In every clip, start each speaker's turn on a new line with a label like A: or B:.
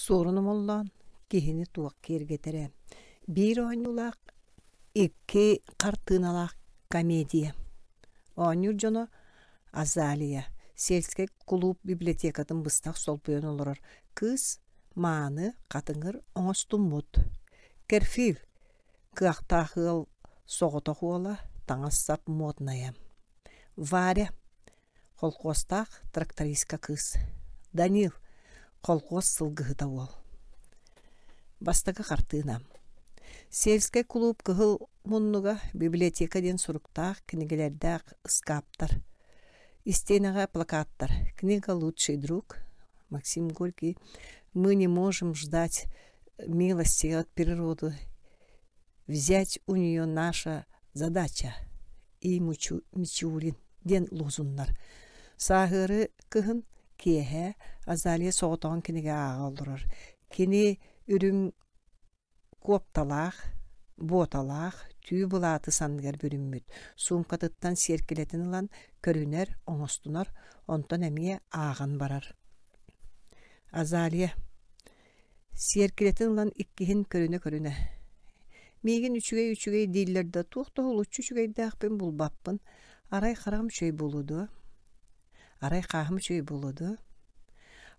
A: Суорун омоллоон киһини туох киэргэтэрэ биир оонньуулаах, икки хартыыналаах комедия. Оонньуур дьоно Азалия сельскэй кулууп библиотекатын быстах солбуйан олорор кыыс мааны хатыҥыр оҥостуммут. Керфил кыахтаах ыал соҕотох уола таҥас-сап моднайа. Варя Холкуостаах трактористка кыыс Данил колхуос сылгыһыта уол. Бастакы хартыына Сельскэй кулууп кыһыл муннуга библиотека диэн суруктаах кинигэлэрдээх ыскааптар. Истиэнэҕэ плакаттар «Книга лучший друг» Максим Горький «Мы не можем ждать милости от природы. Взять у нее наша задача» И Мичурин диэн лозуннар. Сааһыары кыһын киэһэ Азалия соҕотоҕун кинигэ ааҕа олорор. Кини үрүҥ куопталаах, буоталаах, түү былааты санныгар бүрүммүт, суумкатыттан сиэркилэтин ылан көрүнэр, оҥостунар, онтон эмиэ ааҕан барар. Азалия Сиэркилэтин ылан иккиһин көрүнэ-көрүнэ: «Миигин үчүгэй-үчүгэй дииллэр да, туох да уһулуччу үчүгэйдээхпин булбаппын, арай хараҕым үчүгэй буолуо дуо? Арай хааһым үчүгэй буолуо дуо?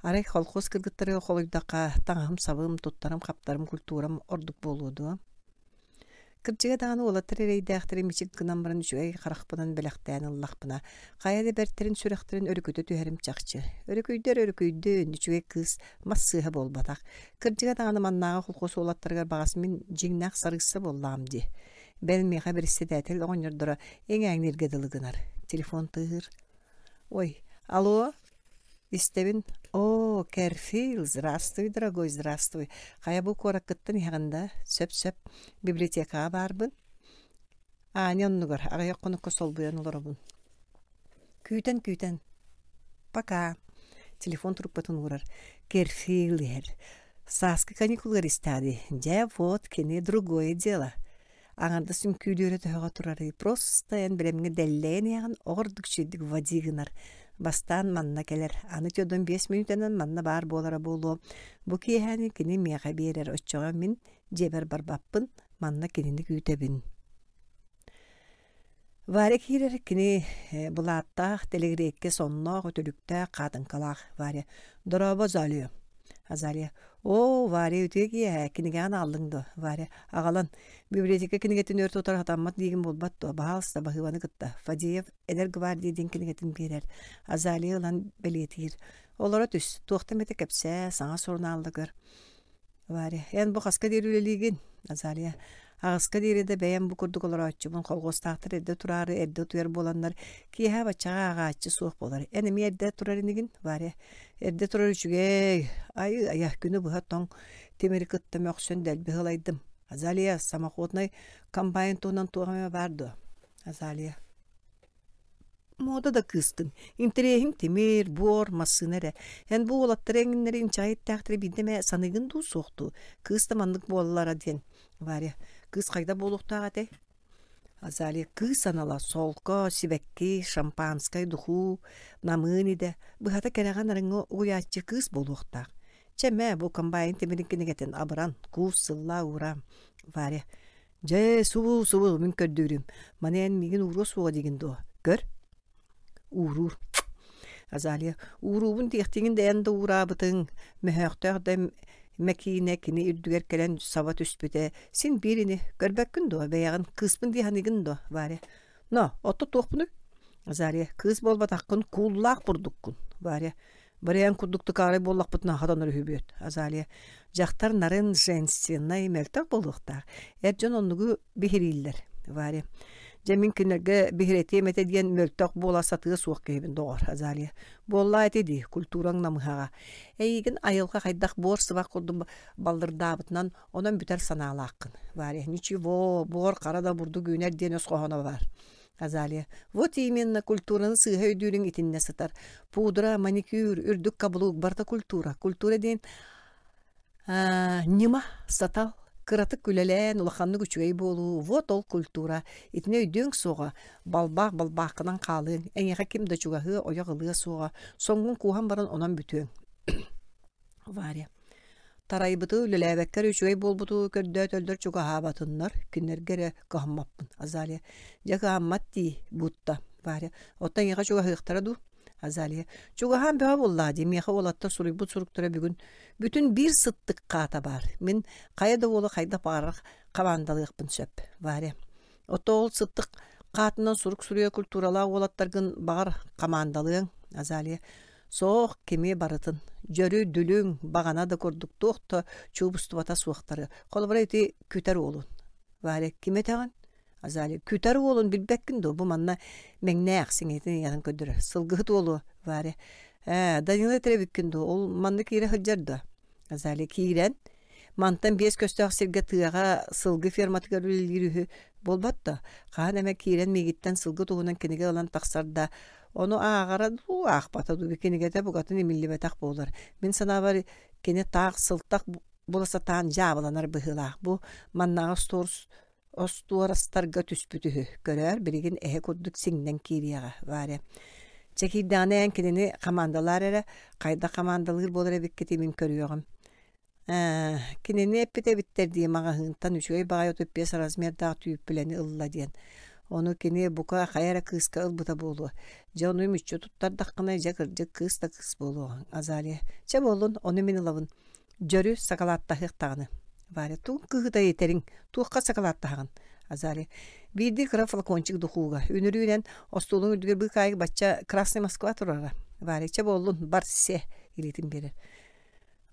A: Арай колхоз кыргыттарыгар холуйдахха, таҥаһым-сабым, туттарым-хаптарым, культурам ордук буолуо дуо? Кырдьыга даҕаны уолаттар эрэйдээхтэри мичик гынан баран үчүгэй харахпынан бэлэхтээн ыллахпына, хайа да бэртэрин сүрэхтэрин өрүкүтэ түһэрим чахчы. Өрүкүйдэр өрүкүйдүн, үчүгэй кыыс мас сыыһа буолбатах. Кырдьыга даҕаны маннааҕы холкуос уолаттарыгар баҕас мин дьиҥнээх сарыысса буоллаҕым дии. Бэл миэхэ бэрэссэдээтэл оҕонньордоро иҥээҥнииргэ дылы гынар. Телефон тыаһыыр. Ой, алло, Истэбин: «Оо, Кэрфил, здравствуй, дорогой, здравствуй. Хайа бу куораккыттан иһэҕин да? Сөп-сөп. Библиотекаҕа баарбын. Аня оннугар аҕыйах хонукка солбуйан олоробун. Күүтэн-күүтэн. Пока». Телефон трубкатын уурар. Керфил иһэр. Сааскы каникулгар истэҕэ дии. Дьэ, вот кини другое дело. Аҥардас үҥкүүлүүрэ төһөҕө турарый, просто эн бэлэмҥэ дэллэйэн иһэҕин, оҕордук үчүгэйдик води гынар. Бастаан манна кэлэр, аны Тёдон 5 мүнүүтэнэн манна баар буолара буолуо. Бу киэһээни кини миэхэ биэрэр, оччоҕо мин дьиэбэр барбаппын, манна кинини күүтэбин. Варя киирэр, кини былааттаах, тэлэгириэккэ сонноох, үтүлүктээх, хаатыҥкалаах. Варя: «Дорообо, Азалия». Азалия: «Оо, Варя, үтүө киэһэ, кинигэҕин аҕаллыҥ дуо?» Варя: «Аҕалан. Библиотека кинигэтин өр тутар сатаммат диигин буолбат дуо? Баһаалыста, баһыыбаны кытта». Фадеев «Эдэр гвардия» диэн кинигэтин биэрэр. Азалия ылан бэлиэтиир. «Олоро түс, туохта эмэтэ кэпсээ, саҥа сурунаалла көр». Варя, эн бу хаска диэри үлэлиигин? Азалия, аҕыска диэри да бэйэм бу курдук олорооччубун, колхуостаахтар эрдэ тураары эрдэ утуйар буоланнар, киэһэ баччаҕа ааҕааччы суох буолар. Эн эмиэ эрдэ турар инигин? Варя, эрдэ турар үчүгэй. Айы, айа, күнү быһа тоҥ тимири кытта мөхсөн дэлби сылайдым. Азалия, самоходнай комбайн туһунан туох эмэ баар дуо? Азалия, Муода да кыыстыҥ, интэриэһиҥ тимир, буор, массыына эрэ. Эн бу уолаттары эҥиннэри инчэҕэй эттээхтэри биирдэ эмэ саныыгын дуу, суох дуу? Кыыс да маннык буоллара диэн. Варя, кыыс хайдах буолуохтаах этэй? Азалия, кыыс анала солко, сибэкки, шампанскай, духуу, намыын идэ, быһата кэрэҕэ нарыҥҥа угуйааччы кыыс буолуохтаах. Чэ мэ, бу комбайн тимирин кинигэтин абыран, куус сыллаа уураам. Варя, Дьэ, субу-субу мин көрдүүрүм. Маны эн миигин ууруо суоҕа диигин дуо? Көр. Ууруур. Азалия, ууруубун диэхтиигин да эн да уураабытыҥ, мөһөөхтөөх да мэкиинэ кини үрдүгэр кэлэн саба түспүтэ. Син биир ини, көрбөккүн дуо бэйэҕин, кыыспын дии саныыгын дуо, Варя? Но, отто туохпунуй? Азалия, кыыс буолбатаххын, кууллаах бурдуккун. Варя, Барыйан курдук тыкаарай буоллахпытына хатанар үһүбүөт. Азалия, дьахтар нарын, женственнай, мөлтөх буолуохтаах. Эр дьон оннугу биһирииллэр. Варя, дьэ мин кинилэргэ биһирэтиэм этэ диэн мөлтөх буола сатыа суох киһибин доҕор, Азалия. Буоллаа ити дии, культураҥ намыһаҕа. Эйигин айылҕа хайдах буор сыбах курдук баллырдаабытынан онон бүтэр санаалааххын. Варя, ничего, буор хара да бурдук үүнэр диэн өс хоһооно баар. Азалия, вот именно культураны сыыһа өйдүүрүҥ итиннэ сытар. Пудра, маникюр, үрдүк каблук барыта культура. Культура диэн ньыма, сатал, кыратык үлэлээн, улаханнык үчүгэй буолуу, вот ол культура. Итини өйдүөҥ суоҕа, балбаах балбааххынан хаалыаҥ, эйиэхэ ким да чугаһыа, ойох ылыа суоҕа, соҥҥун кууһан баран онон бүтүөҥ. Варя. Тарайбыты үлэлээбэккэ эрэ үчүгэй буолбуту көрдөөтөллөр чугаһаабатыннар, кинилэргэ эрэ кыһаммаппын. Азалия, дьэ кыһаммат дии, будто. Варя, оттон эйиэхэ чугаһыахтара дуу? Азалия, чугаһаан бөҕө буоллаа дии, миэхэ уолаттар суруйбут суруктара бүгүн бүтүн биир сыттык хаата баар. Мин хайа да уолу хайдах баҕарар хамаандалыахпын сөп. Варя, Оттон ол сыттык хаатынан сурук суруйа культуралаах уолаттаргын баҕар хамаандалыаҥ, Азалия. Суох, кими барытын. Дьөрү, дүлүҥ, баҕана да курдук туох да чуубустубата суохтары. Холобура ити күтэр уолун. Варя, ким этэҕин? Азалия, күтэр уолун билбэккин дуо? Бу манна мэҥнээх сиҥэтин ыйаһын көрдөрөр. Сылгыһыт уолу, Варя. Ээ, Данила этэр эбиккин дуо? Ол манна киирэ сылдьар дуо? Азалия киирэн, мантан биэс көстөөх сиргэ тыаҕа сылгы ферматыгар үлэлиир үһү буолбат да, хаһан эмэ киирэн миигиттэн сылгы туһунан кинигэ ылан тахсар да, ону ааҕара дуу, аахпата дуу, кинигэтэ букатын имиллибэтэх буолар. Мин санаабар, кини таах сылтах була сатаан дьаабыланар быһыылаах. Бу маннааҕы остуорус остуорастарга түспүт үһү. Көрөөр, билигин эһэ курдук сиҥнэн киириэҕэ, Варя. Чэ киирдэҕинэ эн кинини хамаандалаар эрэ, хайдах хамаандалыыр буолар эбиккитий мин көрүөҕүм. Ээ, кинини эппит эбиттэр дии маҕаһыынтан үчүгэй баҕайы 35 размердаах түүппүлэни ылла диэн. Ону кини бука хайа эрэ кыыска ылбыта буолуо. Дьэ ону мүччү туттардаххына дьэ кырдьык кыыс да кыыс буолуоҕуҥ, Азалия. Чэ буоллун, ону мин ылабын. Дьөрү сакалааттаһыах даҕаны. Варя, тугун кыыһыта итэриҥ, туохха сакалааттаһаҕын? Азалия, биирдии кыра флакончик духууга, үнүрүүнэн остуолуҥ үрдүгэр быыкаайык бачча Красный Москва турара. Варя, чэ буоллун, бар се, илиитин биэрэр.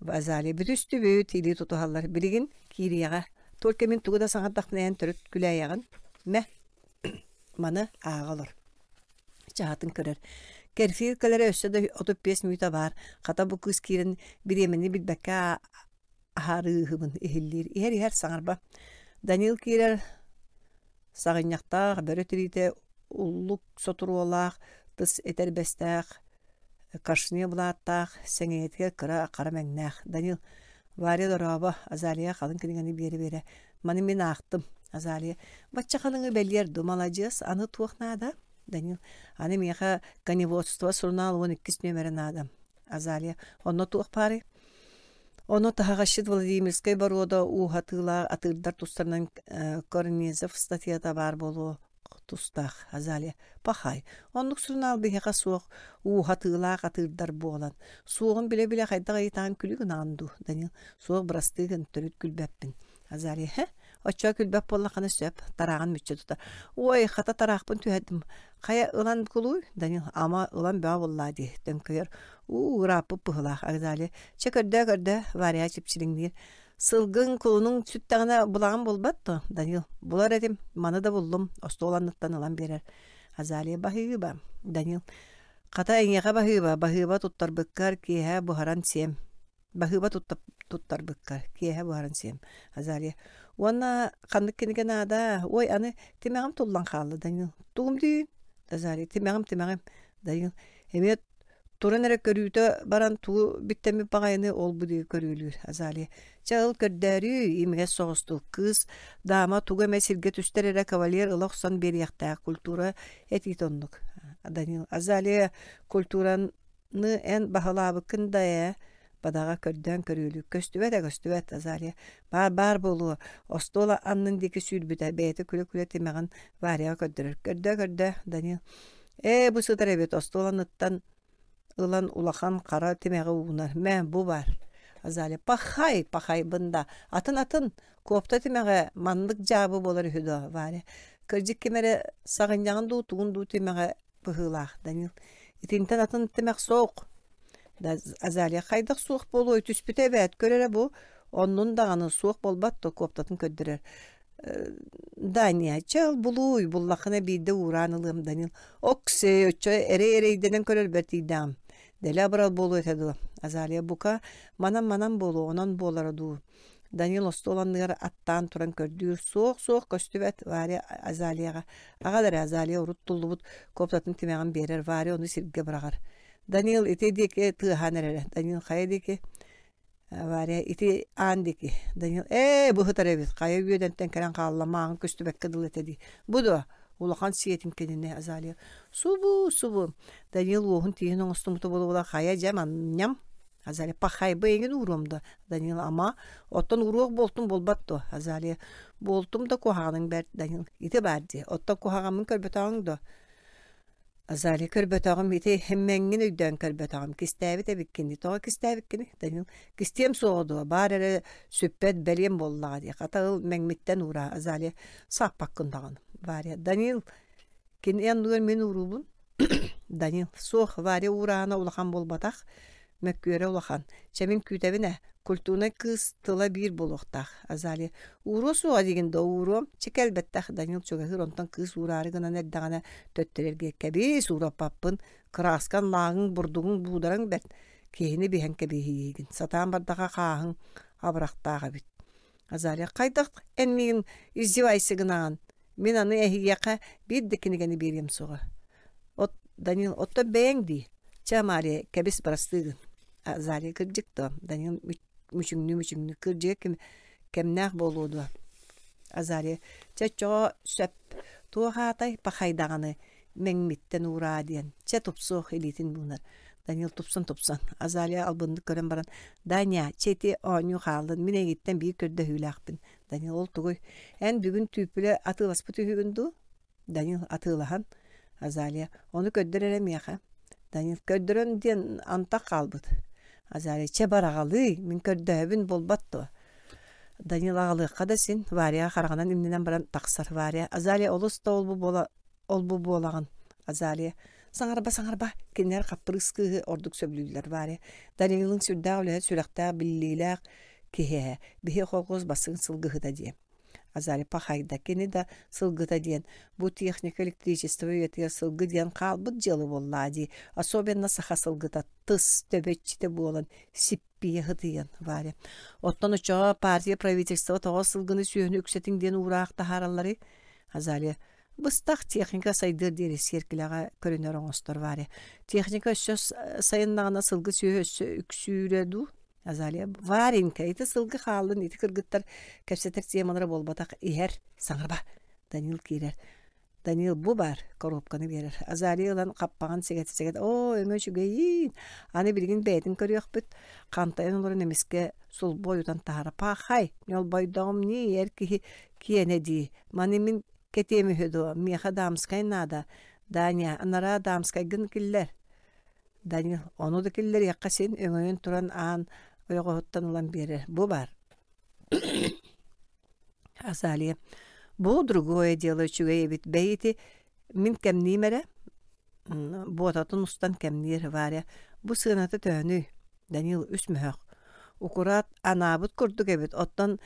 A: Азалия, бүтүстүбүт, илии тутуһаллар. Билигин киириэҕэ. Только мин тугу да саҥардахпына эн төрүт күлээйэҕин. Мэ, маны ааҕа олор. Чаһатын көрөр. Кэрфиир кэлэрэ өссө да 35 мүнүүтэ баар. Хата бу кыыс киирэн бириэмэни билбэккэ аһарыыһыбын иһиллиир. Иһэр-иһэр саҥарба. Данил киирэр саҕынньахтаах, бөрө тириитэ уллук сотуруолаах, тыс этэрбэстээх, кашне былааттаах, сэҥийэтигэр кыра хара мэҥнээх. Данил Варя дорообо, Азалия халыҥ кинигэни биэрэ-биэрэ, маны мин аахтым. Азалия, бачча халыҥы бэлиэр ду, маладьыас, аны туох наада? Данил, аны миэхэ коневодство сурунаал 12 нүөмэрэ наада. Азалия, онно туох баарый? Ону таһаҕасчыт Владимирскай боруода ууһатыылаах атыырдар тустарынан Корнезов статьята баар буолуо тустаах Азалия пахай оннук сурунаал биһиэхэ суох ууһатыылаах атыырдар буолан суоҕун билэ-билэ хайдах ыйытаан күлүү гынаҕын дуу Данил суох бырастыы гын төрүт күлбэппин Азалия хэ оччоо күлбэт буоллаххына сөп тарааҕын мүччү тута ой хата тараахпын түһэрдим хайа ылан кулууй Данил ама ылан бөҕө буоллаа дии төҥкөйөр уу ырааппыт быһыылаах Азалия чэ көрдөө көрдөө Варя чипчилиҥниир Сылгыҥ, кулунуҥ сүттэҕинэ булаҕын булбат дуо, Данил? Булар этим, маны да буллум, остуол анныттан ылан биэрэр. Азалия баһыыба, Данил. Хата эйиэхэ баһыыба, баһыыба туттарбыккар киэһэ буһаран сиэм. Баһыыба туттарбыккар киэһэ буһаран сиэм. Азалия. Уонна ханнык кинигэ наада? Ой, аны тимэҕим туллан хаалла, Данил. Тугум дии? Азалия. Тимэҕим, тимэҕим. Данил. Эмиэ Туран эрэ көрүүтэ баран тугу биттэммит баҕайыны ол-бу диэки көрүөлүүр Азалия. Чэ ыл көрдөөрүүй, имигэс соҕустук. Кыыс дама тугу эмэ сиргэ түстэр эрэ кавалер ыла охсон биэриэхтээх. Культура этиитэ оннук. Данил Азалия культураны эн баһылаабыккын да ээ бадаҕа көрдөөн көрүөлүүр. Көстүбэт ээ көстүбэт Азалия. Баар баар буолуо. Остуол аннын диэки сүүрбүтэ. Бэйэтэ күлэ-күлэ тимэҕин Варяҕа көрдөрөр. Көрдөө көрдөө Данил. Ээ, бу сытар эбит, остуол анныттан ылан улахан хара тимэҕи уунар. Мэ, бу баар. Азалия, пахай, пахайбын да. Атын-атын, куопта тимэҕэ маннык дьаабы буолар үһү дуо, Варя? Кырдьык ким эрэ саҕынньаҕын дуу, тугун дуу тимэҕэ быһыылаах, Данил. Итинтэн атын тимэх суох. Да, Азалия хайдах суох буолуой, түспүтэ эбээт, көр эрэ бу. Оннун даҕаны суох буолбат да куоптатын көрдөрөр. Даня, чэ ыл булууй, буллаххына биирдэ уураан ылыам, Данил. Оксей, оччо эрэй эрэйдэнэн көрөрбөр тиийдэҕим. Дэлэ абырал буолуо этэ дуо? Азалия, бука, манан-манан буолуо, онон буолара дуу. Данил остуол анныгар аттаан туран көрдүүр. Суох-суох көстүбэт, Варя Азалияҕа. Аҕал эрэ, Азалия урут туллубут куоптатын тимэҕин биэрэр, Варя ону сиргэ быраҕар. Данил ити диэки тыаһаан эрэрэ. Данил хайа диэки? Варя ити аан диэки Данил ээ быһытар эбит хайа үөдэнтэн кэлэн хаалла мааҕын көстүбэккэ дылы этэ дии бу дуо улахан сиэтин кинини Азалия субу субу Данил уоһун тииһин оҥостубута буола-буола хайа дьэ манньам. Азалия, пахайба эҥин ууруом да? Данил, ама, оттон ууруох буолтум буолбат дуо? Азалия, буолтум да куһаҕаныҥ бэрт, Данил, ити баар дии, оттон куһаҕаммын көрбөтөҕүҥ дуо? Азалия, көрбөтөҕүм, ити хэммэҥҥин өйдөөн көрбөтөҕүм, кистээбит эбиккин дии, тоҕо кистээбиккиний? Данил, кистиэм суоҕа дуо, баар эрэ сүппэт бэлиэм буоллаҕа дии, хата ыл мэҥмиттэн уураа, Азалия, сааппаккын даҕаны. Варя, Данил, Кини анныгар мин уруубун Данил суох Варя уураана улахан буолбатах, мөккүөрэ улахан. Чэ мин күүтэбин ээ, культурнай кыыс тыла биир буолуохтаах. Азалия ууруо суоҕа диигин да ууруом, чэ кэлбэттэх Данил чугаһыыр онтон кыыс уураары гынан эрдэҕинэ төттөрү эргийэ кэбиис уураппаппын, кырааскан лааҕыҥ бурдугуҥ буудараҥ бэрт, киһини биһэн кэбиһиигин, сатаан бардаха хааһыҥ абырахтаах эбит. Азалия хайдах эн миигин издевайся гынаҕын? Мин аны эһиэхэ биир да кинигэни биэриэм суоҕа. От Данил, оттон бэйэҥ дии. Чэ, Мария, кэбис бырастыы гын. Азалия кырдьык дуо? Данил мүчүҥнүү-мүчүҥнүү кырдьыга ким кэмнээх буолуо дуо? Азалия, чэ, оччоҕо сөп. Туох аатай пахайдаҕаны мэҥмиттэн уураа диэн. Чэ, тупсуох илиитин буунар. Данил тупсан-тупсан. Азалия албыннык көрөн баран, Даня, чэ ити оонньуу хааллын, мин эйигиттэн биир көрдөһүүлээхпин. Данил ол тугуй? Эн бүгүн түүппүлэ атыыласпыт үһүгүн дуу? Данил атыылаһан. Азалия ону көрдөр эрэ миэхэ. Данил көрдөрөн диэн антах хаалбыт. Азалия чэ бараҕалыы, мин көрдөһөбүн буолбат дуо? Данил аҕалыахха да син, Варя хараҕынан имнэнэн баран тахсар. Варя, Азалия олус да ол-бу буола ол-бу буолаҕын. Азалия саҥарба саҥарба кинилэр хаппырыыс кыыһы ордук сөбүлүүллэр Варя Данилыҥ сүрдээх үлэһит сүрэхтээх биллиилээх киһи ээ биһи колхоз бастыҥ сылгыһыта диэн Азалия пахайда кини да сылгыта диэн бу техника электричество үйэтигэр сылгы диэн хаалбыт дьыала буоллаа дии особенно саха сылгыта тыс төбө иччитэ буолан сиппийэ сытыйан Варя оттон оччоҕо партия правительство тоҕо сылгыны сүөһүнү үксэтиҥ диэн уураах таһааралларый Азалия Быстах техника сайдыар диэри сиэркилэҕэ көрүнэр оҥостор Варя. Техника өссө сайыннаҕына сылгы сүөһү өссө үксүүрэ дуу? Азалия, Варенька, ити сылгы хааллын, ити кыргыттар кэпсэтэр темалара буолбатах, иһэр, саҥарба. Данил киирэр. Данил бу баар, коробканы биэрэр. Азалия ылан хаппаҕын сигэтэ-сигэтэ, оо, өҥө үчүгэйиин, аны билигин бэйэтин көрүөхпүт. Хантайан олорон эмискэ сулбу ойутан таһара. Пахай, ньолбойдоҕум нии, эр киһи киэнэ дии. Маны мин кэтиэм үһү дуо, миэхэ дамскай наада. Даня, анараа дамскайгын киллэр. Данил, ону да киллэриэххэ син өҥөйөн туран аан ойоҕоһуттан ылан биэрэр. Бу баар. Азалия, бу другое дело үчүгэй эбит. Бэйи ити мин кэмниим эрэ. Буотатын устан кэмниир Варя. Бу сыаната төһөнүй? Данил үс мөһөх. Укураат анаабыт курдук эбит. Оттон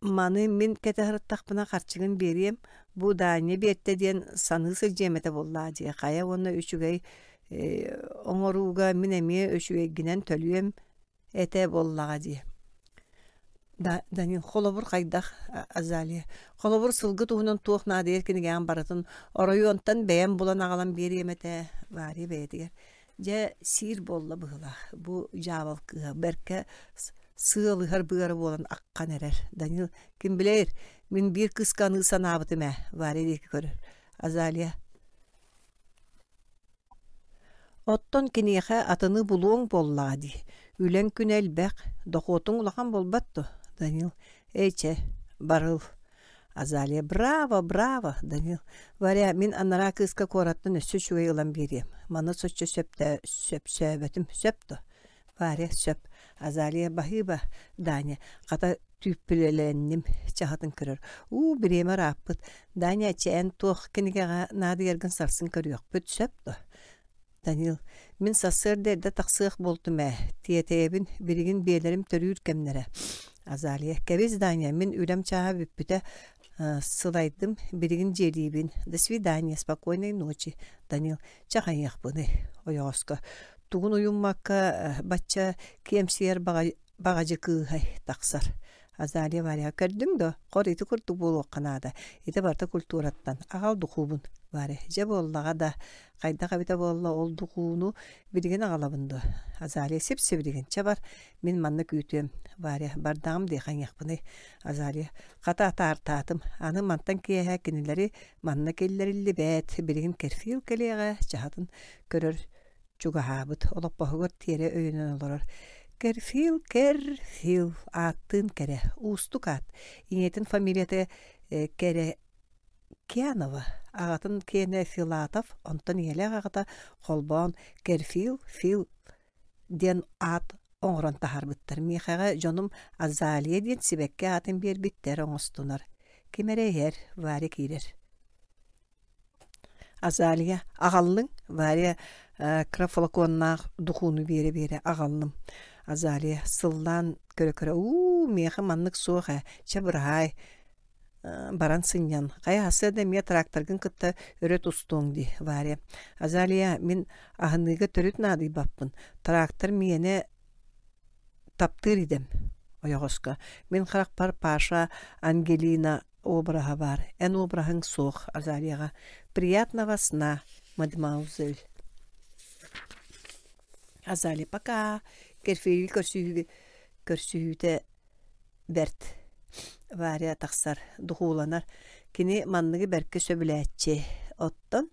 A: Маны мин кэтэ сырыттахпына харчыгын биэриэм, бу Даанньа биэртэ диэн саныы сылдьыам этэ буоллаа дии, хайа уонна үчүгэй оҥорууга мин эмиэ үчүгэйгинэн төлүөм этэ буоллаҕа дии. Данил, холобур хайдах, Азалия, холобур сылгы туһунан туох наадыйар кинигэҕин барытын оройуонтан бэйэм булан аҕалан биэриэм этэ, Варя бэйэтигэр Дьэ, сиир буолла быһыылаах, бу дьаабал кыыһа бэркэ сыалыһар быара буолан аххан эрэр. Данил, ким билэр, мин биир кыыска аныы санаабытым ээ, Варя диэки көрөр. Азалия, Оттон киниэхэ атыны булуоҥ буоллаҕа дии, үлэҥ күнэ элбэх, дохуотуҥ улахан буолбат дуо? Данил, эй чэ, барыл Азалия «Браво, браво!» Данил «Варя, мин анараа кыыска куораттан өссө үчүгэй ылан биэриэм. Маны соччо сөпсөөбөтүм, сөп дуо?» Варя «Сөп». Азалия «Баһыыба, Даня, хата түүппүлэлэнним» чаһытын көрөр. «Уу, бириэмэ ырааппыт. Даня, чэ эн туох кинигэҕэ наадыйаргын сарсын көрүөхпүт, сөп дуо?» Данил, мин сарсыарда эрдэ тахсыах буолтум ээ, тиэтэйэбин, билигин биэлэрим төрүүр кэмнэрэ. Азалия, кэбис, Даня, мин үлэм чааһа бүппүтэ, сылайдым, билигин дьиэлиибин. До свидания, спокойной ночи. Данил, чэ хайыахпыный, ойоҕоско. Тугун уйуммакка бачча киэмсийэр баҕадьы кыыһай тахсар. Азалия Варя, көрдүҥ дуо? Хор ити курдук буолуохха наада. Ити барыта культураттан. Аҕал духуубун. Варя, дьэ буоллаҕа да, хайдах эбитэ буолла ол духууну билигин аҕалабын дуо? Азалия, сип-сибилигин. Чэ бар, мин манна күүтүөм. Варя, бардаҕым дии хайыахпыный? Азалия, хата атаартаатым. Аны мантан киэһэ кинилэри манна киллэриллибэт. Билигин керфил кэлиэҕэ, чаһытын көрөр. Чугаһаабыт, олоппоһугар тиэрэ өйөнөн олорор. Кэрфил, Кэрфил, ааттыын кэрэ, уустук аат. Ийэтин фамилията Кэрэ Кянова, аҕатын киэнэ Филатов, онтон ийэлээх аҕата холбоон Кэрфил, Фил диэн аат оҥорон таһаарбыттар. Миэхэҕэ дьонум Азалия диэн сибэкки аатын биэрбиттэр оҥостунар. Ким эрэ иһэр, Варя киирэр. Азалия, аҕаллыҥ? Варя кыра флаконнаах духууну биэрэ-биэрэ аҕаллым. Азалия сыллаан көрө-көрө уу, миэхэ маннык суох ээ, чэ быраһаай, баран сынньан. Хайа сарсыарда эмиэ тракторгын кытта өрө тустуоҥ дии, Варя. Азалия, мин аһыныыга төрүт наадыйбаппын. Трактор миэнэ таптыыр идэм. Ойоҕоско. Мин харахпар Паша, Ангелина обраһа баар. Эн обраһыҥ суох, Азалияҕа. Приятного сна, мадемуазель. Азалия, пока. Керфиги көрсүһүүгэ көрсүһүүтэ бэрт. Варя тахсар, духууланар. Кини манныгы бэркэ сөбүлээччи. Оттон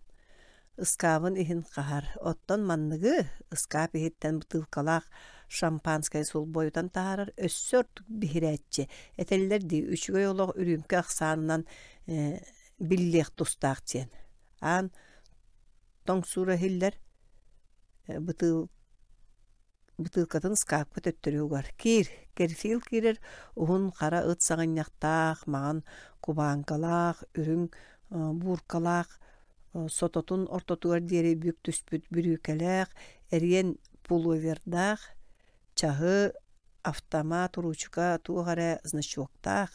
A: ыскаабын иһин хаһар. Оттон манныгы ыскаап иһиттэн бытыылкалаах шампанское сулбойутан таһаарар өссө ордук биһирээччи. Этэллэр дии, үчүгэй олох үрүүмкэ ахсаанынан биллиэх тустаах диэн. Аан тоҥсуура иһиллэр бытыыл бытыылкатын ыскаапка төттөрү угар. Киир, Керфил киирэр уһун хара ыт саҕынньахтаах, маҥан кубааҥкалаах, үрүҥ бууркалаах, сототун ортотугар диэри бүк түспүт бүрүүкэлээх, эриэн пуловердаах, чаһы, автомат, уруучука, туох эрэ значоктаах.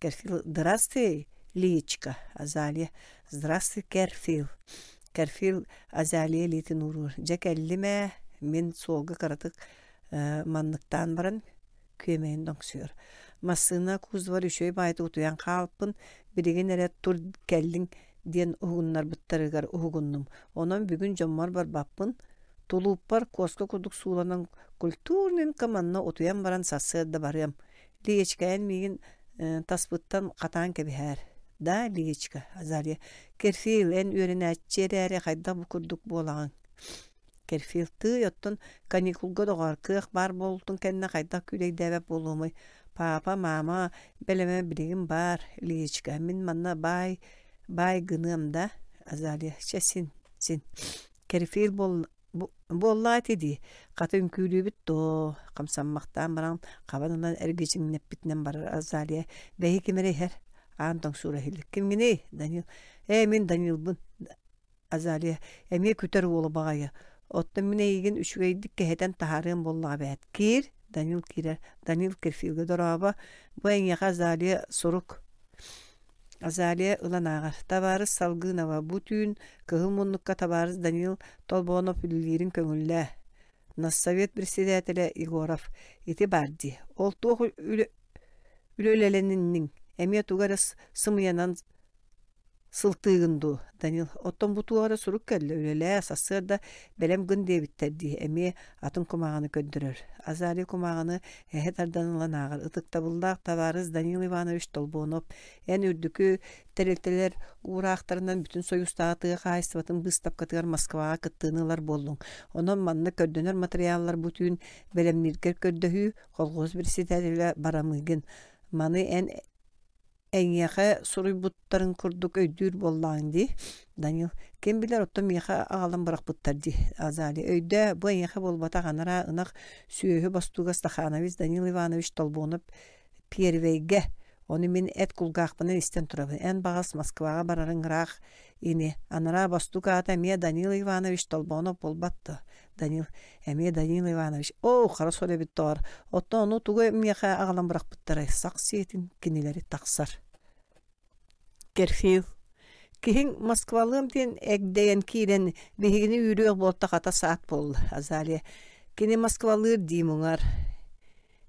A: Керфил «Здравствуй, Лиечка, Азалия, здравствуй, Керфил». Керфил Азалия илиитин ууруур. Дьэ кэллим ээ, мин суолга кыратык манныктаан баран күөмэйин тоҥсуйар. Массыына кузовар үчүгэй баайытык утуйан хаалпын, билигин эрэ тур кэллиҥ диэн уһугуннарбыттарыгар уһугуннум. Онон бүгүн дьоммор барбаппын, тулууппар куоска курдук сууланан культурненько манна утуйан баран сарсыарда барыам. Лиечка эн миигин таспыттан хатаан кэбиһээр. Да, Лиечка, Азалия, Керфил, эн үөрэнээччи эрээри хайдах бу курдук буолаҕыҥ? Керфил, тыый, оттон каникулга доҕоор, кыах баар буолтун кэннэ хайдах күүлэйдээбэт буолуомуй? Папа, мама бэлэмэ билигин баар, Лиечка, мин манна баай, баай гыныам да? Азалия, чэ син, син. Керфил буол Буоллаҕа ити дии, хата үҥкүүлүүбүт дуо, хамсаммахтаан баран хабан ылан эргичиҥнэппитинэн барар Азалия бэйи ким эрэ иһэр, аан тоҥсуура иһиллэр. Кимҥиний? Данил. Ээ, мин Данилбын. Азалия эмиэ күтэр уолу баҕайы. Оттон мин эйигин үчүгэйдик кэһэтэн таһаарыам буоллаҕа эбээт. Киир. Данил киирэр. Данил Керфилгэ дорообо. Бу эйиэхэ Азалия сурук. Азалия ылан ааҕар. Табаарыс Салгынова, бу түүн кыһыл муннукка табаарыс Данил Толбонов үлэлиирин көҥүллээ. Нассовет председателэ Егоров ити баар дии. Ол туох үлэ үлэлэнинниҥ? Эмиэ тугу эрэ сымыйанан Сылтыыгын дуу, Данил, оттон бу туох эрэ сурук кэллэ, үлэлээ, сарсыарда бэлэм гын диэбиттэр дии, эмиэ атын кумааҕыны көрдөрөр. Азалия кумааҕыны эһэ тардан ылан ааҕар. Ытыктабыллаах табаарыс Данил Иванович Толбонов, эн үрдүкү тэрилтэлэр уураахтарынан Бүтүн Союзтааҕы тыа хаһаайыстыбатын быыстапкатыгар Москваҕа кыттыыны ылар буоллуҥ. Онон манна көрдөнөр матырыйааллар бу түүн бэлэмнииргэр көрдөһүү, колхоз председателэ Барамыгин. Маны эн Эйиэхэ суруйбуттарын курдук өйдүүр буоллаҕыҥ дии, Данил. Ким билэр, оттон миэхэ аҕалан бырахпыттар дии, Азалия. Өйдөө, бу эйиэхэ буолбатах анараа ынах сүөһү бостууга Стаханович Данил Иванович Толбонов Первэйгэ. Ону мин эт кулгаахпынан истэн турабын. Эн баҕас Москваҕа барарыҥ ыраах ини. Анараа бостуук аата эмиэ Данил Иванович Толбонов буолбат дуо? Данил, эмиэ Данил Иванович, оо, хара суол эбит доҕор, оттон ону тугу миэхэ аҕалан бырахпыттарай, сах сиэтин кинилэри тахсар. Керфил, киһиҥ Москвалыам диэн эгдэйэн киирэн биһигини үүрүөх буолта хата саат буолла, Азалия. Кини Москвалыыр дии муҥар.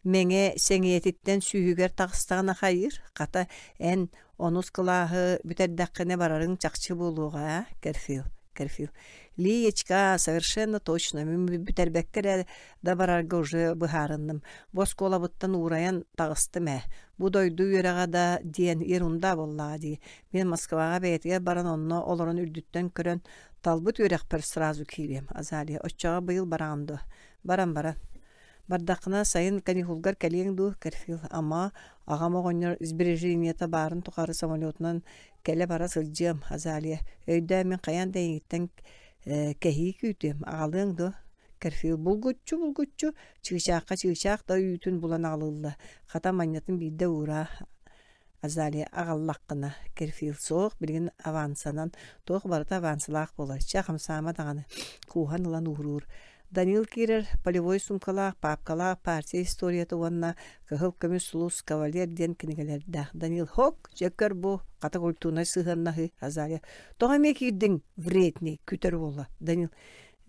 A: Мэҥэ сэҥийэтиттэн сүүһүгэр таҕыстаҕына хайыыр, хата эн онус кылааһы бүтэрдэххинэ барарыҥ чахчы буолуоҕа ээ, Керфил, Керфил. Лиечка, совершенно точно, мин бүтэрбэккэ эрэ да барарга уже быһаарынным. Бу оскуолабыттан уурайан таҕыстым ээ. Бу дойду үөрэҕэ да диэн ерунда буоллаҕа дии. Мин Москваҕа бэйэтигэр баран онно олорон үрдүттэн көрөн. Талбыт үөрэхпэр сразу киириэм, Азалия, оччоҕо быйыл бараҕын дуо? Баран баран. Бардаххына сайын каникулгар кэлиэҥ дуу, Керфил? Ама, аҕам оҕонньор сбережениета баарын тухары самолетунан кэлэ-бара сылдьыам, Азалия. Өйдөө мин хайаан да эйигиттэн кэһии күүтүөм, аҕалыаҥ дуо? Керфил булгуччу-булгуччу чыычаахха чыычаах да үүтүн булан аҕалылла. Хата манньатын биирдэ уураа Азалия аҕаллаххына, Керфил суох, билигин авансанан, туох барыта авансалаах буолар, чэ хамсаама даҕаны, кууһан ылан ууруур. Данил киирэр полевой суумкалаах, паапкалаах партия историята уонна Кыһыл көмүс сулус кавалер диэн кинигэлэрдээх. Данил хок, дьэ көр бу, хата культурнай сыһыаннаһыы, Азалия. Тоҕо эмиэ киирдиҥ, вредный, күтэр уола. Данил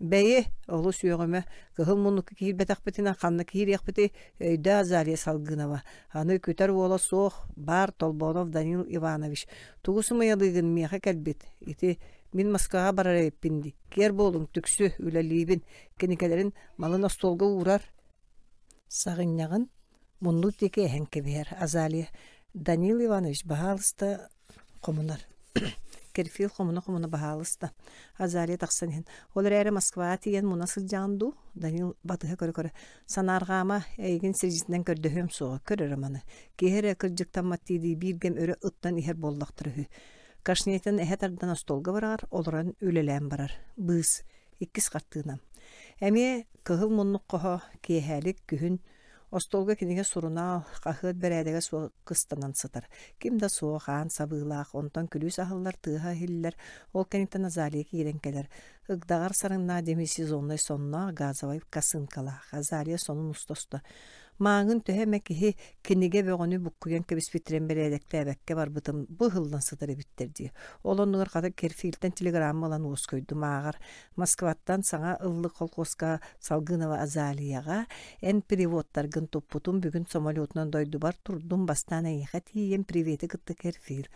A: Бэйи, олус үөҕүмэ, кыһыл муннукка киирбэтэхпитинэ ханна киириэхпитий, өйдөө Азалия Салгынова. Аны күтэр уола суох, баар Толбонов Данил Иванович. Тугу сымыйалыыгын миэхэ кэлбит, ити мин Москваҕа барар эбиппин дии. Киэр буолуҥ, түксү, үлэлиибин. Кинигэлэрин малын остуолга уурар. Саҕынньаҕын муннук диэки эһэн кэбиһэр Азалия Данил Иванович, баһаалыста хомунар. Керфил хомуна-хомуна баһаалыста. Азалия тахсан иһэн, ол эрээри Москваҕа тиийэн муна сылдьаҕын дуу? Данил батыһа көрө-көрө, санаарҕаама, эйигин сирдьитинэн көрдөһүөм суоҕа, көр эрэ маны. Киһи эрэ кырдьыктаммат дии биир кэм өрө ыттан иһэр буоллахтара үһү. Кашнетын эһэ тардан остуолга быраҕар, олорон үлэлээн барар. Быыс. Иккис хартыына. Эмиэ кыһыл муннук хоһо, киэһэлик, күһүн Остуолга кинигэ сурунаал, хаһыат бэрээдэгэ суох кыстанан сытар. Ким да суох, аан сабыылаах, онтон күлүүс аһыллар, тыаһа иһиллэр. Ол кэнниттэн Азалия киирэн кэлэр. Ыгдаҕар сарыҥнаах демисезоннай сонноох, газовай косынкалаах. Азалия сонун уста-уста Мааҥын төһө эмэ киһи кинигэ бөҕөнү буккуйан кэбиспиттэрин бэрээдэктээбэккэ барбытым бу ыһыллан сытар эбиттэр дии. Ол оннугар хата Керфилтэн телеграмма ылан уоскуйдум ааҕар. Москваттан саҥа ыллык холкуоска Салгынова Азалияҕа эн переводтаргын туппутум бүгүн самолетунан дойдубар турдум бастаан эйиэхэ тиийэн привети кытта Керфил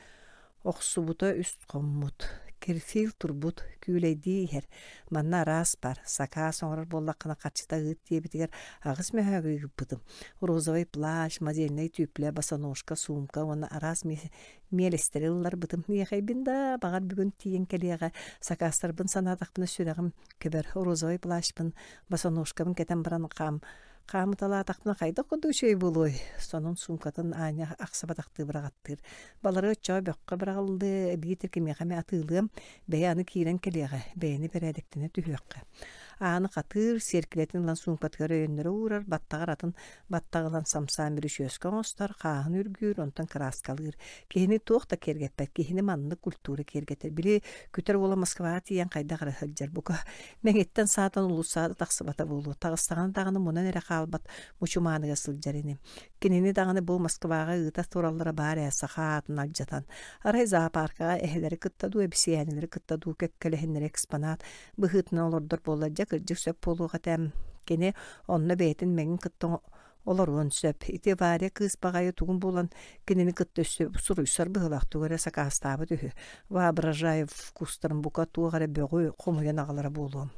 A: охсубута үс хоммут Керфил турбут күүлэйдии иһэр манна араас бар сакаас оҥорор буоллаххына харчыта ыыт диэбитигэр аҕыс мөһөөгү ыыппытым розовый плащ модельнай түүплэ босоножка сумка уонна араас миэлэстэри ылларбытым. Миэхэйбин да, баҕар бүгүн тиийэн кэлиэҕэ. Сакаастарбын санаатахпына сүрэҕим көбөр. Розовай плащпын, босоножкабын кэтэн баран хаам хаамыталаатахпына хайдах курдук үчүгэй буолуой? Сонун суумкатын аанньа ахсыбатахтыы быраҕаттыыр. Балары оччоҕо бөххө быраҕыллыа, биитэр кимиэхэ эмэ атыылыам, бэйэ аны киирэн кэлиэҕэ, бэйэни бэрээдэктэнэ түһүөххэ. Ааны хатыыр, сиэркилэтин ылан суумкатыгар өйөннөрө уурар, баттаҕар атын Баттаҕы ылан самсаан бүрүчүөскэ оҥостор, хааһын үргүүр, онтон кырааскалыыр. Киһини туох да киэргэппэт, киһини маннык культура киэргэтэр. Били күтэр уола Москваҕа тиийэн хайдах эрэ сылдьар. Бука мэҥиттэн саатан улуссаҕа да тахсыбата буолуо. Таҕыстаҕына даҕаны мунан эрэ хаалбат мучумааныга сылдьар ини. Кинини даҕаны бу Москваҕа ыыта тураллара баар ээ, саха аатын алдьатан. Арай зоопаркаҕа эһэлэри кытта дуу, эбисийээнэлэри кытта дуу кэккэлэһиннэри экспонат быһыытынан олордор буоллар дьэ кырдьык сөп буолуох этэ. Кини онно бэйэтин мэҥин кытта олоруон сөп. Ити Варя кыыс баҕайы тугун булан кинини кытта өссө суруйсар быһыылаах тугу эрэ сакаастаабыт үһү. Воображаев вкустарын бука туох эрэ бөҕү хомуйан аҕалара буолуо.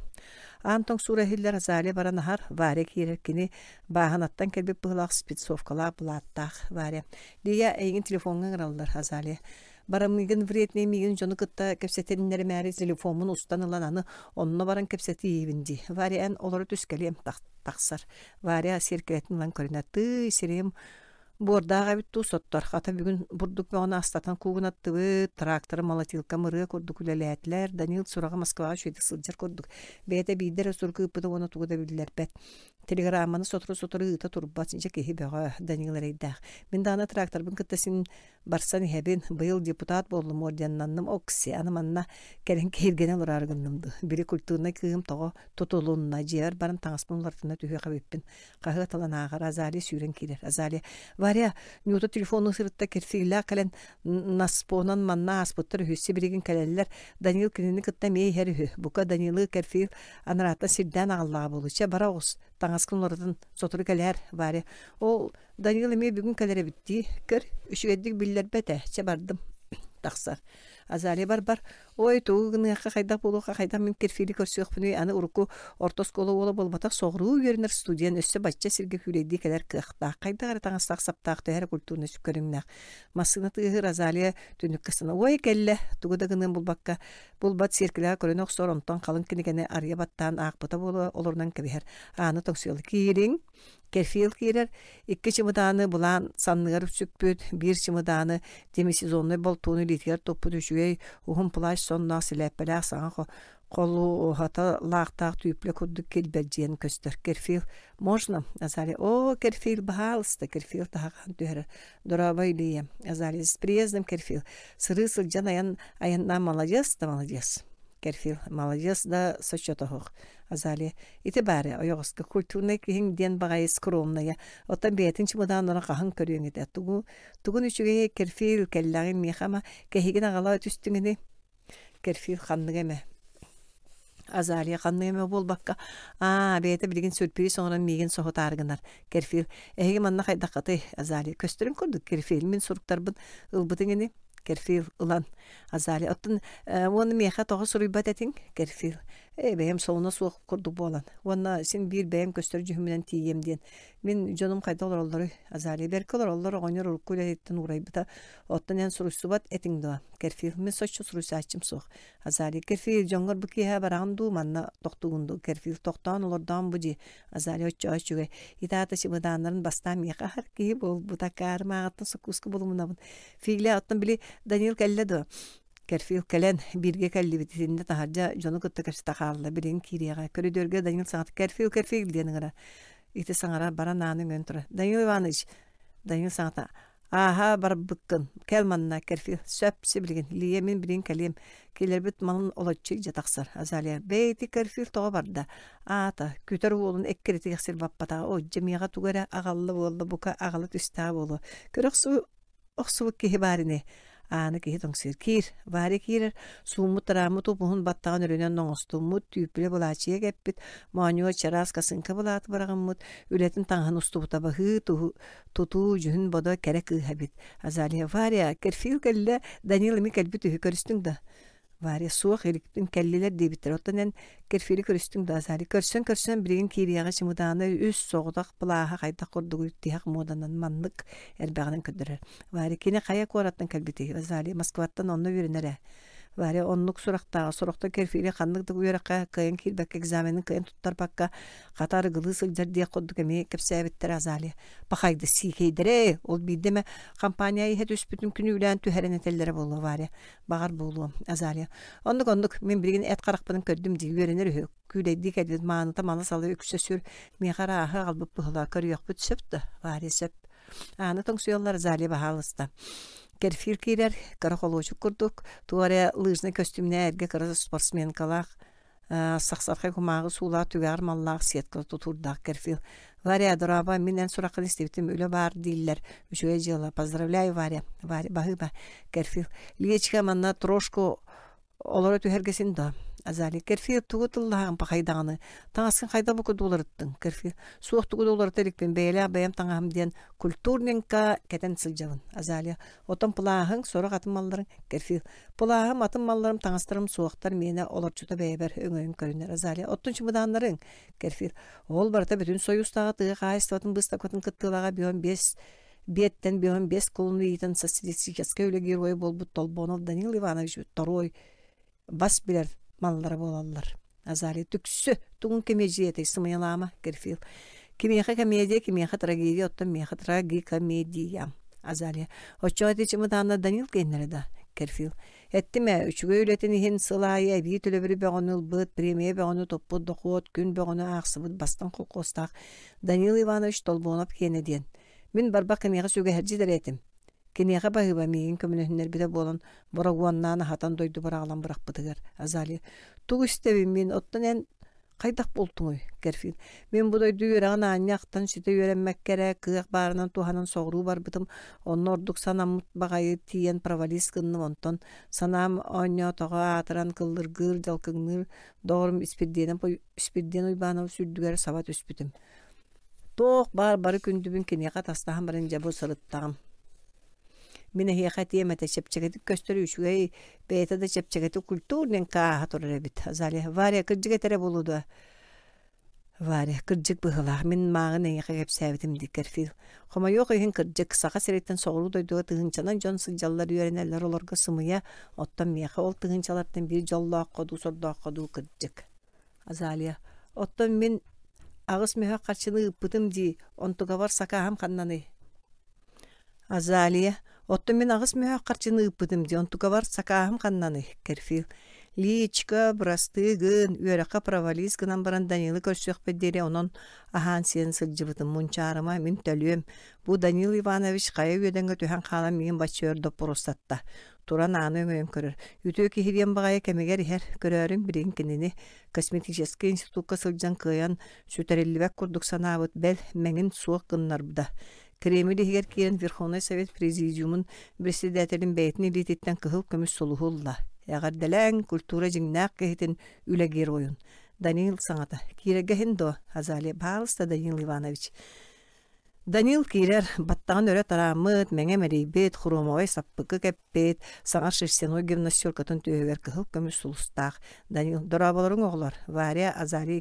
A: Аан тоҥсуура иһиллэр Азалия баран аһар, Варя киирэр кини бааһынаттан кэлбит быһыылаах спецовкалаах былааттаах Варя. Лия эйигин телефоҥҥа ыҥыраллар Азалия. Барамыгын вредный миигин дьону кытта кэпсэтиннэримээри телефоммун устан ылан аны онно баран кэпсэтиибин дии. Варя эн олоро түс кэлиэм тахсар. Варя сиэркилэтин ылан көрүнэ тыый сирэйим буордаах эбит дуу соттор. Хата бүгүн бурдук бөҕөнү астатан куугунаттыбыт, тракторы молотилкам ырыа курдук үлэлээтилэр. Данил сураҕа Москваҕа үчүгэйдик сылдьар курдук. Бэйэтэ биирдэ эрэ сурук ыыппыта уонна тугу да биллэрбэт. Телеграмманы сотору-сотору ыыта турбат, дьэ киһи бөҕө, Данил эрэйдээх. Мин даҕаны тракторбын кытта син Барсан иһэбин, быйыл депутат буоллум орденнанным окси, аны манна кэлин киһиргэнэ олороору гынным дуу. Били культурнай кыыһым тоҕо тутулунна, дьиэбэр баран таҥаспын уларытына түһүөх эбиппин. Хаһыат ылан ааҕар, Азалия сүүрэн киирэр. Азалия, Варя, Нюта телефону сырытта кирсиилээх кэлэн наспонан манна ааспыттар үһү, сибилигин кэлэллэр. Данил кинини кытта эмиэ иһэр үһү. Бука Данилы Керфил анарааттан сирдээн аҕаллаҕа буолуо. Чэ, бара оҕус, таҥаскын уларытын, сотору кэлээр, Варя. Ол Данил эмиэ бүгүн кэлэр эбит дии. Көр, үчүгэйдик биллэрбэт ээ, чэ бардым. Тахсар. Азалия барбар Ой, тугу гыныахха, хайдах буолуохха, хайдах мин Кирфили көрсүөхпүнүй, аны урукку орто оскуола уола буолбатах, соҕуруу үөрэнэр студент өссө бачча сиргэ күүлэйдии кэлэр кыахтаах, хайдах эрэ таҥастаах-саптаах, төһө эрэ культурнай көрүҥнээх. Массыына тыаһыыр Азалия түннүккэ сына «Ой, кэллэ!» тугу да гыныан булбакка, булбат сиэркилэҕэ көрүнэ охсор, онтон халыҥ кинигэни арыйа баттаан аахпыта буола олорунан кэбиһэр. Ааны тоҥсуйалла «Киириҥ!» Кефир киирэр, икки чымыдааны былаан санныгар сүкпүт, биир чымыдааны демисезоннай болтууну илиитигэр туппут үчүгэй уһун плащ сонноох силээппэлээх саҥа холуоһата лаахтаах түүплэ курдук килбэлдьийэн көстөр. Керфил можно? Азалия о, Керфил, баһаалыста, Керфил таһаҕаһын түһэрэр. Дорообо, Илья. Азалия с приездом, Керфил. Сырыы сылдьан айан айаннаан маладьыас да маладьыас. Керфил маладьыас да соччотоһуох. Азалия, ити баары ойоҕоско культурнай киһиҥ диэн баҕайы скромная, оттон бэйэтин чымыдааннарын хаһан көрүөҥ этэ, тугу тугун үчүгэйэ Керфил кэллэҕин миэхэ ама кэһигин аҕала түстүҥ ини Керфил ханнык эмэ Азалия ханнык эмэ буолбакка, аа, бэйэтэ билигин сюрприз оҥорон миигин соһутаары гынар. Керфил, эһиги манна хайдаххытый? Азалия, көстөрүн курдук Керфил, мин суруктарбын ылбытыҥ ини? Керфил ылан Азалия, оттон уонна миэхэ тоҕо суруйбат этиҥ? Керфил, Ээ, бэйэм солуна суох курдук буолан. Уонна син биир бэйэм көстөр дьүһүммүнэн тиийиэм диэн. Мин дьонум хайда олороллоруй? Азалия бэркэ олороллор, оҕонньор урукку үлэтиттэн уурайбыта. Оттон эн суруйсубат этиҥ дуо? Керфил, мин соччо суруйсааччым суох. Азалия, Керфил, дьоҥҥор бу киэһэ бараҕын дуу, манна тохтуугун дуу? Керфил, тохтоон олордоон бу дии. Азалия оччоҕо үчүгэй. Итаата чымыдааннарын бастаан миэхэ аһар киһи буолбута. Акаарым ааҕыттан сокууска булумунабын. Филя, оттон били Данил кэллэ дуо? Керфил кэлэн, бииргэ кэллибит итиннэ таһырдьа дьону кытта кэпсэтэ хаалла, билигин киириэҕэ. Көрүдүөргэ Данил саҥата «Керфил, Керфил» диэн ыҥыра. Ити саҥара баран ааны өҥөйөн турар. «Данил Иванович!» Данил саҥата «Ааһа барбыккын, кэл манна, Керфил, сөп, сибилигин, Лия мин билигин кэлиэм, киллэрбит малын олоччу илдьэ тахсар». Азалия «Бэйи ити Керфил тоҕо барда? Аата, күтэр уолун эккирэтигэр сир баппатаҕа, о, дьэ миэхэ тугу эрэ аҕалла буолла, бука аҕала түстэҕэ буолуо. Көрө охсубут киһи баар ини Ааны киһи тоҥсуйар киир Варя киирэр сууммут-тарааммыт уп-уһун баттаҕын өрүнэн оҥостуммут түүппүлэ былаачыйа кэппит моонньуга чараас косынка былааты быраҕыммыт үлэтин таҥаһын устубута баһыы тутуу дьүһүн-бодо кэрэ кыыһа эбит Азалия Варя Керфил кэллэ Данил эмиэ кэлбит үһү көрүстүҥ да Варя суох иликпин кэллилэр диэбиттэр оттон эн Керфили көрүстүҥ да Азали көрсөн-көрсөн билигин киириэҕи чымыдааны үс соҕотох плааһа хайдах курдугуй тиһэх муоданан маннык элбэҕинэн көрдөрөр Варя кини хайа куораттан кэлбитий Азали Москваттан онно үөрэнэр ээ Варя оннук сурахтааҕа сорохтор Керфили ханнык да үөрэххэ кыайан киирбэккэ экзаменын кыайан туттарбакка хата арыгылыы сылдьар диэх курдук эмиэ кэпсээбиттэрэ Азалия пахайды сиикэйдэрэ ол биирдэ эмэ компания иһэ түспүтүн күнүүлээн түһэрэн этэллэрэ буолуо Варя Баҕар буолуо, Азалия. Оннук-оннук, мин билигин эт харахпынан көрдүм дии, үөрэнэр үһү. Күүлэйдии кэлбит мааныта мала-салы үксэ сүр, миэхэ арааһы аҕалбыт быһыылаах көрүөхпүт сөп да, Варя сөп. Ааны тоҥсуйаллар, Азалия баһаалыста. Керфир киирэр, кыра холуочук курдук, туох эрэ лыжный көстүүмнээх эргэ кыра спортсменкалаах сахсархай кумааҕы суулаах түгэҕэр маллаах сетка тутуурдаах Керфил. Варя, дорообо, мин эн сураххын истибитим, үлэ баар дииллэр, үчүгэй дьыала, поздравляю, Варя. Варя, баһыыба, Керфил. Лиечка манна трошку олоро түһэргэ син да. Азалия, Керфил, тугу тыллаһаҕын пахай даҕаны, таҥаскын хайдах бу курдук уларыттыҥ, Керфил. Суох тугу да уларыта иликпин, бэйэлээх бэйэм таҥаһым диэн культурненько кэтэн сылдьабын. Азалия, отон плааһыҥ, сорох атын малларыҥ, Керфил. Пылааһым, атын малларым, таҥастарым суохтар, миэнэ олорчута бэйэбэр өҥөйөн көрүнэр Азалия. Оттон чымыдааннарыҥ, Керфир. Ол барыта бүтүн Союзтааҕы тыа хаһаайыстыбатын быыстапкатын кыттыылааҕа бион биэс биэттэн бион биэс кулуну иитэн социалистическай үлэ геройа буолбут Толбонов Данил Иванович второй бас билэр маллара буолаллар. Азалия түксү, тугун кэмиэдьийэтэй сымыйалаама, Керфил. Кимиэхэ комедия, кимиэхэ трагедия, оттон миэхэ трагикомедия. Азалия. Оччоҕо ити чымыдаанна Данил киэннэрэ да, Керфил. Эттим ээ, үчүгэй үлэтин иһин сыл аайы эбии төлөбүрү бөҕөнү ылбыт, премия бөҕөнү туппут, дохуот, күн бөҕөнү аахсыбыт бастыҥ холкуостаах Данил Иванович Толбонов киэнэ диэн. Мин барбах киниэхэ сүгэһэрдьит эрэ этим. Киниэхэ баһыыба миигин көмөлөһүннэрбитэ буолан, борогуоннаан аһатан дойдубар аҕалан бырахпытыгар. Азалия, тугу истэбин мин, оттон эн хайдах буолтуҥуй? Керфин, мин бу дойду үөрэҕин аанньа ахтан ситэ үөрэммэккэ эрэ кыах баарынан туһанан соҕуруу барбытым, онно ордук санаммыт баҕайы тиийэн провалист гынным, онтон санаам оонньоотоҕо аатыран кыллыргыыр, дьалкыҥныыр доҕорум Испирдиэн Испирдиэн Уйбаанабыс үрдүгэр саба түспүтүм. Туох баар бары күндүбүн киниэхэ атастаһан баран дьэ бу сырыттаҕым. Мин эһиэхэ этиэм этэ, чэпчэкитик көстөр үчүгэй, бэйэтэ да чэпчэкитик культурненько ааһа турар эбит. Азалия, Варя, кырдьык этэрэ буолуо дуо? Варя, кырдьык быһыылаах, мин мааҕын эйиэхэ кэпсээбитим дии, Керфил. Хомойуох иһин кырдьык, Саха сириттэн соҕуруу дойдуга тыһыынчанан дьон сылдьаллар, үөрэнэллэр, олорго сымыйа, оттон миэхэ ол тыһыынчалартан биир дьоллооххо дуу, сордооххо дуу кырдьык. Азалия, оттон мин аҕыс мөһөх харчыны ыыппытым дии, онтукабар сакааһым ханнаный? Азалия, оттон мин аҕыс мөһөөх харчыны ыыппытым дии, онтукабар сакааһым ханнаный? Керфил, Личка, бырастыы гын, үөрэххэ провалист гынан баран Данилы көрсүөхпүт диэри онон аһаан-сиэн сылдьыбытым, мунчаарыма, мин төлүөм. Бу Данил Иванович хайа үөдэҥҥэ түһэн хаалан миигин бачча өр доппуруостатта. Туран ааны өҥөйөн көрөр. Үтүө киһи диэн баҕайы кэмигэр иһэр, көрөөрүҥ билигин кинини косметическай институкка сылдьан кыайан сүтэриллибэт курдук санаабыт, бэл, мэҥин суох гыннарбыта. Кремль иһигэр киирэн Верховнай Совет Президиумун председателин бэйэтин илиититтэн кыһыл көмүс сулуһу ылла. Эҕэрдэлээҥ, культура дьиҥнээх киһитин, үлэ геройун. Данил саҥата. Киирэргэ иһин дуо, Азалия? Пожалуйста, Данил Иванович. Данил киирэр, баттаҕын өрө тарааммыт, мэҥэ мэлийбит, хромовай саппыкы кэппит, саҥа шерстяной гимнастеркатын түөһүгэр кыһыл көмүс сулустаах. Данил, дорооболоруҥ оҕолор, Варя, Азария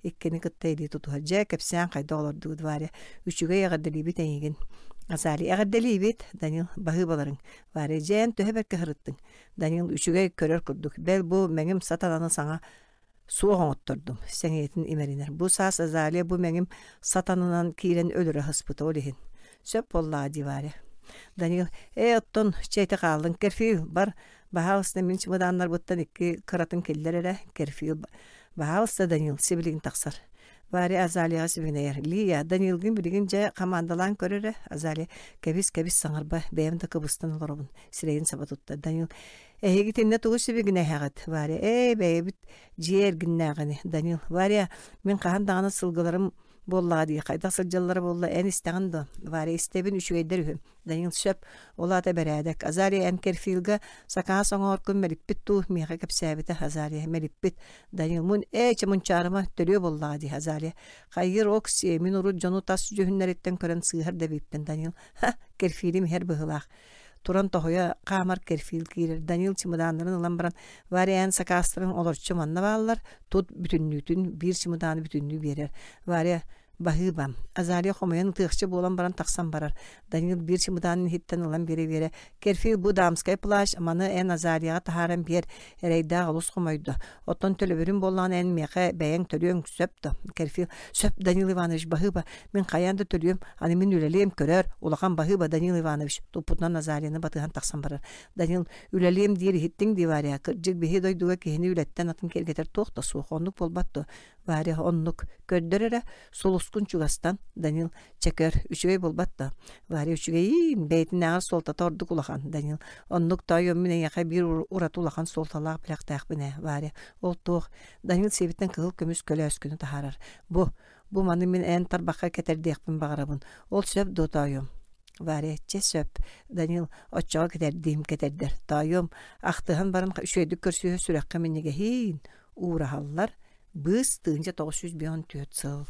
A: иккини кытта илии тутуһар. Дьэ, кэпсээн хайдах олордугут, Варя? Үчүгэй эҕэрдэлиибит эйигин. Азария, эҕэрдэлиибит, Данил, баһыыбаларыҥ. Варя, дьэ, эн төһө бэркэ сырыттыҥ? Данил, үчүгэй көрөр курдук. Бэл, бу мэҥим сатананы саҥа суох оҥоттордум, сэҥийэтин имэринэр. Бу саас Азалия бу мэҥим сатанынан киирэн өлөрө сыспыта ол иһин. Сөп буоллаҕа дии Варя. Данил, ээ оттон чэ ити хааллын Керфил бар баһаалыста мин чымыдааннарбыттан икки кыратын киллэр эрэ Керфил баһаалыста Данил сибилигин тахсар Варя Азалияҕа сибигинэйэр. Лия, Данилгын билигин дьэ хамаандалаан көр эрэ. Азалия, кэбис, кэбис саҥарба, бэйэм да кыбыстан олоробун. Сирэйин саба тутта. Данил, Эһиги итиннэ тугу сибигинэһэҕит, Варя? Ээ, бэйэбит дьиэ эргиннээҕини, Данил. Варя, мин хаһан даҕаны сылгыларым буоллаҕа дии, хайдах сылдьаллара буолла, эн истэҕин дуо? Варя, истэбин, үчүгэйдэр үһү. Данил, сөп, ол аата бэрээдэк. Азария, эн Керфилга сакаас оҥооркун мэлиппит дуу, миэхэ кэпсээбитэ, Азария, мэлиппит. Данил, мун, ээ, чэ мунчаарыма, төрүө буоллаҕа дии, Азария. Хайыыр Окси, мин урут дьону тас дьүһүннэриттэн көрөн сыыһар да эбиппин, Данил. Ха, Керфилим иһэр быһыылаах. Туран тоһуйа хаамар Керфил киирэр. Данил чымыдааннарын ылан баран, Варя эн сакаастарын олорчу манна бааллар, тут бүтүннүүтүн, биир чымыдааны бүтүннүү биэрэр. Варя Баһыыба. Азалия хомуйан ытыахча буолан баран тахсан барар. Данил биир чымыдаанын иһиттэн ылан биэрэ-биэрэ, Керфил бу дамскай плащ, маны эн Азалияҕа таһааран биэр, эрэйдээх олус хомойдо. Оттон төлөбүрүн буоллаҕына эн миэхэ бэйэҥ төлүөҥ сөп да? Керфил, сөп, Данил Иванович, баһыыба, мин хайаан да төлүөм, аны мин үлэлиэм, көрөөр, улахан баһыыба, Данил Иванович, туппутунан Азалияны батыһан тахсан барар. Данил, үлэлиэм диир иһиттиҥ дии, Варя, кырдьык биһи дойдуга киһини үлэттэн атын киэргэтэр туох да суох, оннук буолбат дуо? Варя, оннук, көрдөр эрэ, сулускун чугастан, Данил, чэ көр, үчүгэй буолбат да? Варя, үчүгэйиин, бэйэтинээҕэр суолтата ордук улахан, Данил, оннук тоойуом мин эйиэхэ биир ураты улахан суолталаах бэлэхтээхпин ээ, Варя, ол туох? Данил сиэбиттэн кыһыл көмүс көлөөскүнү таһаарар. Бу, Бу маны мин эн тарбахха кэтэрдиэхпин баҕарабын. Ол сөп дуо, тоойуом? Варя, чэ сөп. Данил, оччоҕо кэтэрдиим кэтэрдэр. Тоойуом, ахтыһан баран үчүгэйдик көрсүһэ сүрэххэ минньигэһиин. Уураһаллар. Быыс 1954 сыл.